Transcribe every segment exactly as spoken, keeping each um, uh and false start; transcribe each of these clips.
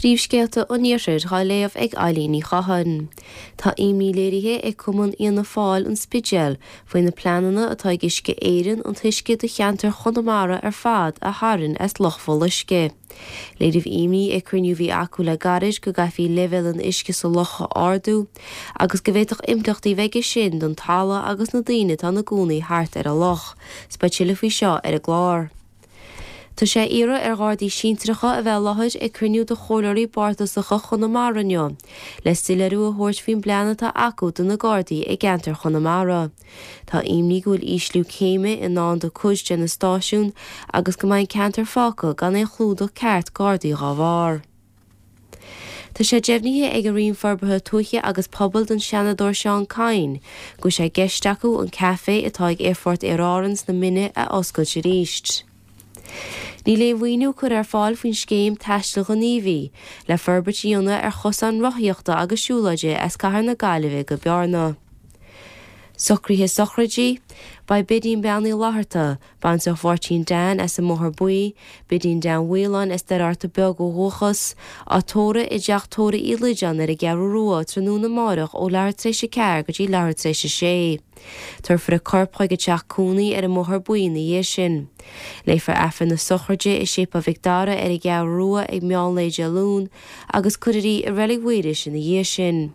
Príomhscéalta an Iarthair dhá léamh ag Eilín Ní Chatháin. Tá imní léirithe ag Cumann Fhianna Fáil an Spidéal faoi na pleananna atá ag Uisce Éireann an t-uisce do cheantar Chonamara ar fad a tharraingt as Loch Bholuisce. Léiríodh imní ag cruinniú a bhí acu le gairid go gcaithfí leibhéal an uisce sa loch a ardú agus go bhféadfadh impleachtaí bheith aige sin don talamh agus na daoine atá ina gcónaí thart ar an loch. 'S beidh tuilleadh faoi seo ar an gclár. Tá sé iarraidh ar Ghardaí sinsearacha a bheith i láthair ag cruinniú de chomhairleoirí bardasacha Chonamara inniu, le soiléiriú a thabhairt faoin bplean atá acu do na Gardaí i gceantar Chonamara. Tá imní go bhfuil ísliú céime i ndán do cuid de na stáisiúin agus go mbeidh an ceantar fágtha gan aon chlúdach ceart Gardaí dá bharr. Tá sé deimhnithe ag an Roinn Forbartha Tuaithe agus Pobail don Seanadóir Seán Kyne go bhfuil sé i gceist acu an café atá ag Aerfort Aer Árann sna Mine a oscailt arís. Níl aon mhaoiniú curtha ar fáil faoin scéim Taistil Ghníomhaigh le forbairt a dhéanamh ar chosáin rothaíochta agus siúlóide as Cathair na Gaillimhe go Bearna. Socruithe sochraide, Beidh Bidín Bean Uí Fhlatharta, baintreach Mháirtín Dan as an mBóthar Buí, Bidín Dan Mhaoláin as Doire Fhatharta Beag ó dhúchas, á tórramh i dteach tórraimh Uí Loideáin ar an gCeathrú Rua tráthnóna amárach ó leathuair tar éis a ceathair go dtí leathuair tar éis a sé. Tabharfar a corp chuig a teach cónaí ar an mBóthar Buí ina dhiaidh sin. Léifear Aifreann na sochraide i Séipéal Mhic Dara ar an gCeathrú Rua ag meán lae Dé Luain agus cuirfear í i Reilig Mhaoilís ina dhiaidh sin.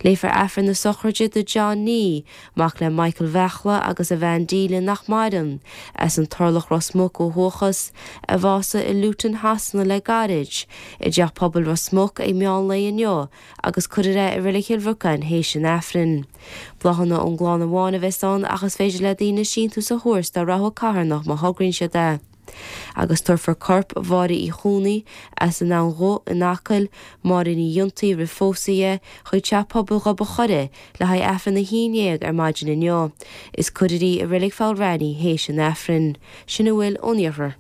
Léifear Aifreann na sochraide do John Nee, mac le Michael Bheachla agus a bhean Delia nach maireann, as an Turlach Ros Muc ó dhúchas, a bhásaigh i Luton Shasana le gairid, i dteach pobail Ros Muc ag meán lae inniu agus cuirfear é i Reilig Chill Bhriocáin théis an Aifrinn. Bláthanna ón gclann amháin a bheas ann ach is féidir le daoine síntiús a thabhairt dá rogha carthanach má thograíonn siad é. Agus tabharfar corp Mháire Uí Chónaí as an Abhainn Dhubh in Acaill, Máire Ní Fhiontaí roimh phósadh di, chuig teach pobail Ghob an Choire le haghaidh Aifreann a haon déag ar maidin inniu. Is cuirfear í i Reilig Pholl Raithní théis an Aifrinn. Sin a bhfuil ón iarthar.